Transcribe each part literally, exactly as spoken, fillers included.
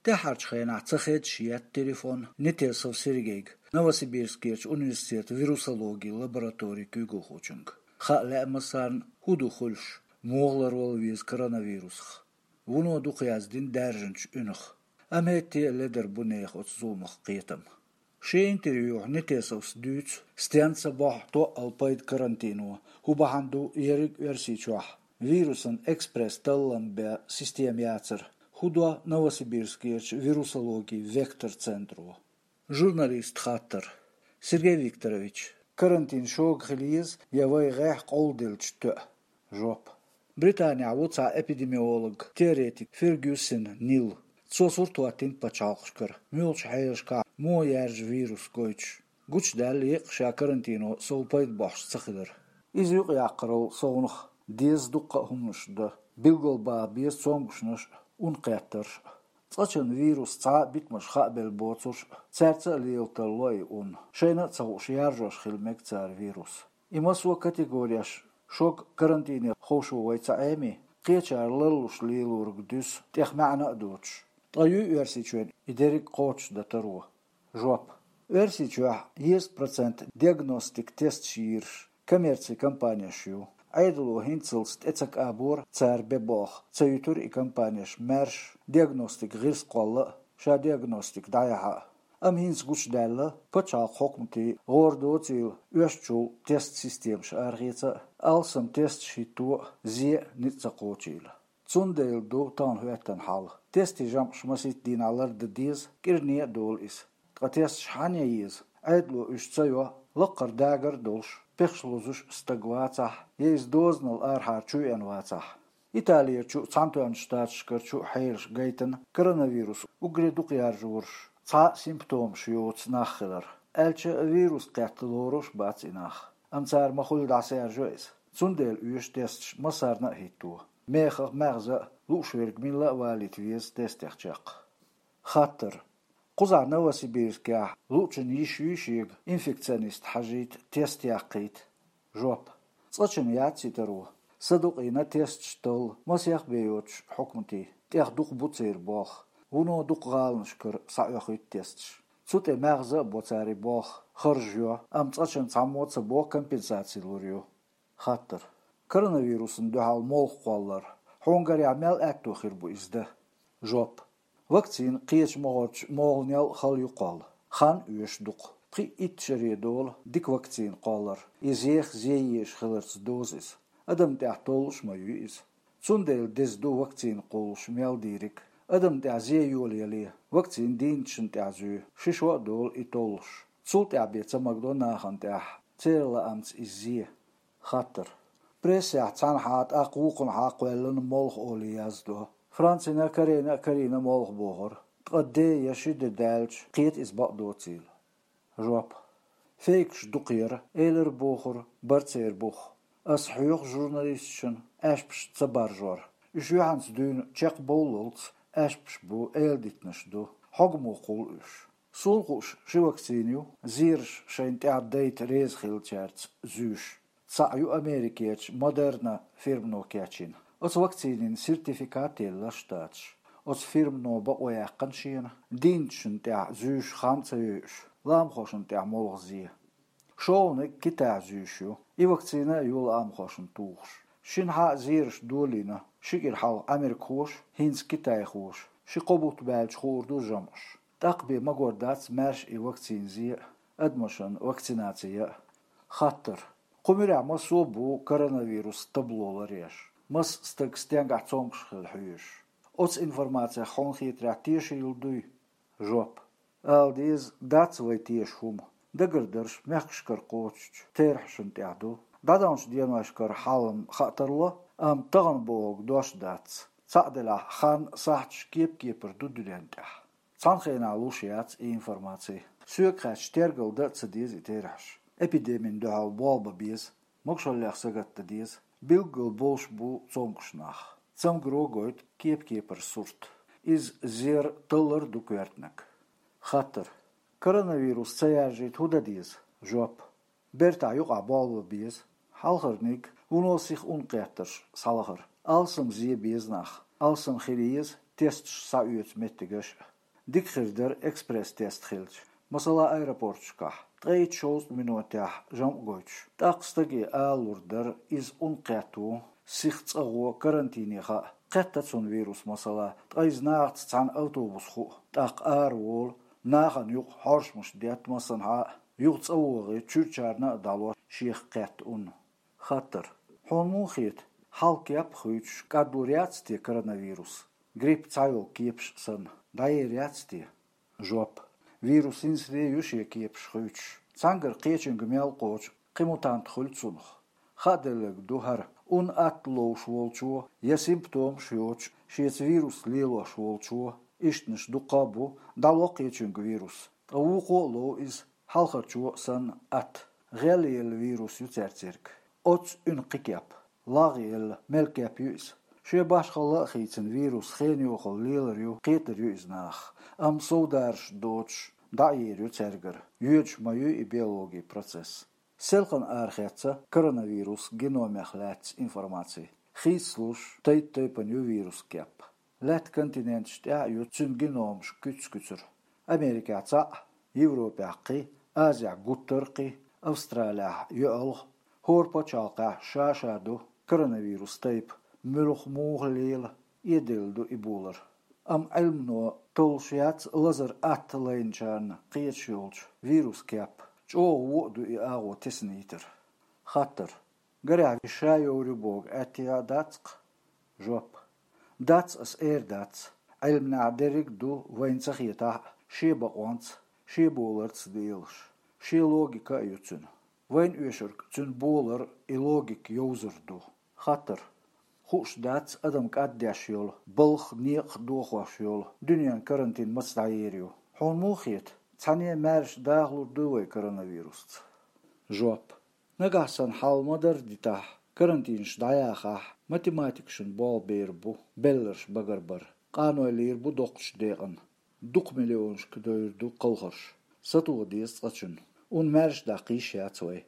ТӀаьхьарчу хенахь ца хедаш етта телефон Нетесов Сергейга, Новосибирскерчу университетан вирусологин лабораторин куьйгалхочуьнга. Хаа лаьа массарна, хӀун ду хуьлуш, муха ларвала веза коронавирусах. Вуно дукха яздина даьржинчу уьнах. Амма хӀетте а ледара бу нехан оцу зуламах кхетам. Шен интервьюхь Нетесовс дуьйцу, стенна ца бохьу тоъал пайда карантино, хӀун бахьана ду ерриг Оьрсийчохь вирусан экспресс-таллам бен система яцар, хӀун до Новосибирскерчу вирусологин «Вектор» центро. Журналистан хаттар. Сергей Викторович, карантин шога хила еза я вай гӀехь къовладелча тоьа? Жоп. Британехь ву цхьа эпидемиолог, теоретик Фергюсон Нил. Цо сурт хӀоттийна пачхьалкхашкара, муьлхачу хьелашкахь муха яьржа вирус гойтуш. Гучудаьлла еккъа ша карантино сов пайда бохьуш ца хилар. Иза юкъаяккхарал совнах деза дуккха а хӀуманаш дан, билгалбаха беза цомгушнаш а, ун кхеттарш а. Цкъачунна вирус цхьа а битамаш хаабелла боцурш а, цаьрца а лела тарло и ун. Шайна а ца хууш, яржош хила мега цара вирус. И массо а категореш шога карантине ховшо вай ца Ӏеми, кхечара ларлуш лелориг дуьсу, тӀех маьӀна а доцуш. Ткъа юй Оьрсийчоьнна и дерриг кхочушдан таро? Жоп. Оьрсийчохь дезткъа процент диагностик тесташ йийраш коммерцин компанеш ю. Ӏедало хӀинццалц тӀе ца кӀабора цара бен болх, ца юьтура и компанеш маьрша диагностик гӀирс кхолла а, ша диагностик дӀаяхьа а. Амма хӀинца гучудаьлла, пачхьалкхан хьукматий гӀора доцийла оьшучул тест системаш арахеца а, алсам тесташ хӀитто а, зе а ницкъ ца кхочийла. Цундела ду тахана хӀоьттина хьал. Тестийн жамӀаш масийтта дийнахь лардан деза, кӀиране а долу иза. Ткъа тесташ хьанна ян еза? Ӏедало уьш ца йо, лаккхара дагар а долуш, пехаш лозуш стаг вацахь, я иза дозанал арахьара чу веана вацахь. Италерчу а, Цхьаьнатоьхначу Штаташкарчу а хьелаш гайтина коронавирус уггаре дукха яржораш, цхьа а симптомаш йоцу нах хилар. Аьлча а вирус кхетта лоруш бац и нах. Амма цара ма-хуьллу дӀасаяьржо иза. Цундела оьшу тесташ массарна а хӀитто. Мехах а, маьхза а, лууш верг милла а валийта веза тестех чекх. Хаттар. Кхузахь Новосибирскехь луучун йиш юй шега инфекционист хьажийта, тест яккхийта? Жоп. Цкъачунна яц и таро. Садукъийна тесташ талла масех бен йоцуш хьукматий, тӀех дукха бу церан болх, вуно дукха гӀаланашкара схьаоьхуьйту тесташ. Цу тӀе маьхза а бо цара и болх, харж йо, амма цкъачунна цхьаммо а ца боху компенсаци лур ю. Хаттар. Коронавирусна дуьхьал молха кхоллар хьуна гарехь мел аьтто хир бу иза дан? Жоп. Вакцина кхечу могӀарчу могӀанел а хала ю кхолла. Хан оьшу дукха. Пхи-итт шаре долу дика вакцина кхоллар, и зех зе езаш хиларца доза иза. Адамна тӀехь толлуш ма юй иза. Цундела деза ду вакцина кхуллуш мел дийриг. Адамна тӀехь зе йолаяле, вакцина дийначунна тӀехь зуьй, ши шо а долу и толлуш. Цул тӀаьхьа бен ца магадо нахана тӀехь, церан лаамца иза зе. Хаттар. Прессехь цхьанхьа, тӀаккха вукхунхьа кхоьллина молха олий яздо. Францина, Корейна а карийна молха бохура. Ткъа де я ши де даьлча, кхета иза бакъдоцийла? Жоп. Фейкаш дукха яра, элира бохура, бара церан бух. Ас хьоьху журналисташна аьшпаш ца баржор. Уьш юьхьанца дуьйна чекхбовллалц аьшпаш бу, эладитанаш ду. Хьогамах кхуллу уьш. Суна хууш ши вакцина ю, зераш шайна тӀехь дайта реза хиллачаьрца зуьйш. Цхьаъ ю Америкерчу Moderna фирмано кечйина. Оцу вакцинин сертификат елла Штаташа. Оцу фирмано бакъо яьккхина шена, дийначунна тӀехь зуьйш хан а ца йойуш, ламахошна тӀехь молха зе. ШолгӀаниг Китайхь зуьйш ю, и вакцина а ю ламахошна тухуш. Шинхьа а зераш долийна, ши кӀира хьалха америкахоша, хӀинца китайхоша, ши-кхо бутт баьлча хуур ду жамӀаш. ТӀаккха бен магор дац маьрша и вакцина зе а, адамашна вакцинаци ян а. Хаттар. Кху муьрехь массо а бу коронавирус табло ларъеш, масса стаг стенгахь цомгуш хилла хьоьжуш. Оцу информацех хьуна хетарехь тешийла дуй? Жоп. Ала деза, дац вай теша хӀума. Дагардарш мехкашкара кхочучу терахьашна тӀехь ду. ДӀадаханчу деношкара хьал-м хаа тарло, амма тахана бохург дош дац. Цхьаъ делахь, хан, сахьташ кеп-кепара ду дуьнен тӀехь. Цхьана хенахь луш яц и информаци. Соьга хаьттича, тергал дан а ца деза и терахьаш. Эпидемина дуьхьал болх бан беза, могушаллех сагатдан деза. Билггал болуш бу цомгуш нах. Цамгаро гойту кеп-кепара сурт. Иза зер, таллар а ду коьртаниг. Хаттар. Коронавирус ца яржийта хӀун дан деза? Жоп. Бертахь юкъахь болх бан беза. Хьалхарниг, вуно сиха ун кхеттарш схьалахара. Алсам зе беза нах. Алсам хила еза, тесташ схьаоьцу меттигаш а. Дика хир дара экспресс-тест хилча, масала, аэропорташкахь, ткъе итт-шовзткъа минотехь жамӀ гойтуш. ТӀаккха стаге алалур дара, иза ун кхетта ву, сиха цӀа гӀо, карантине хаьа. Кхетта цунна вирус, масала, ткъа иза нахаца цхьаьна автобус хуу, тӀаккха ара волу, нахана юкъа хьоршмаш детта массанхьа а, юха цӀа вогӀий, чуьрачарна а дӀало шех кхетта ун. Хаттар. Хьуна муха хета, хьалха кеп а хуьйцуш, кӀадлур яц те коронавирус? Грипп цхьайолу кепаш санна, дӀаер яц те? Жоп. Вирус хӀинца де ю шен кепаш хуьйцуш. Цхьаьнгара кхечуьнга мел кхочу кхин мутант хуьлу цунах. Хааделларг ду хӀара, ун атта ловш волчо я симптомаш йоцуш, шеца вирус лелош волчо, ишттанаш дуккха а бу, дӀало кхечуьнга вирус. Ткъа вукхо а лов иза, хьалхарчо а санна, атта. ГӀелъелла вирус ю цаьрцерг. Оццу уьнан кхин кеп. ЛагӀъелла, мел кеп ю иза. Шен башхалла а хийцина вирус хенан йохалла лелар ю, кхетар ю иза нахах. Амма совдарш доцуш, дӀа а ер ю цаьргара. Йоьдуш ма ю и биологин процесс. Селхана арахецна коронавирус геномех лаьцна информаци. Хийцалуш, тайп-тайпана ю вирус кеп. Лаьтта континенташ тӀехь а ю цуьнан геномаш куьц-куьцара. Америкехь цхьаъ, Европехь кхин, Азехь гуттар а кхин, Австралехь йоьалгӀа. ХӀора пачхьалкхехь ша-ша ду коронавирус тайпа, муьлха муха лела, эделла ду и болар. Амма Ӏилмано толлуш яц лазар атта лайначарна кхеташ йолчу вирус кеп. ЧӀогӀа вон а ду и агӀо теснайтар. Хаттар. Гарехь, ша йовр ю боху аьттехьа дац-кх? Жоп. Дац, ас эр дац. Ӏилманехь дерриг а ду, вайна ца хетахь а, шен бакъонца, шен боларца делаш. Шен логика а ю цуьнан. Вайна оьшург цуьнан болар а, и логика йовзар ду. Хаттар. Хууш дац адам кӀаддеш йолу, балха некъах дохош йолу дуьненан карантин маца дӀаер ю. Хьуна муха хета, цхьаьна а маьрша дахалур ду вай коронавирусца? Жоп. Нагахь санна хьал ма-дарра дитахь, карантинаш дӀаяхахь, математикашна болх бер бу, белларш багарбар. Къаной лийр бу доккхачу декъана. Дукха миллионашка девр ду кхалхарш. Сатоха деза цкъачунна. Ун маьрша даккха йиш яц вай.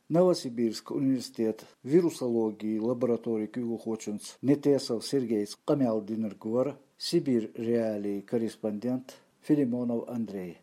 Новосибирск университетан вирусологин лабораторин куьйгалхочуьнца Нетесов Сергейца къамел динарг вара Сибирь Реалии корреспондент Филимонов Андрей.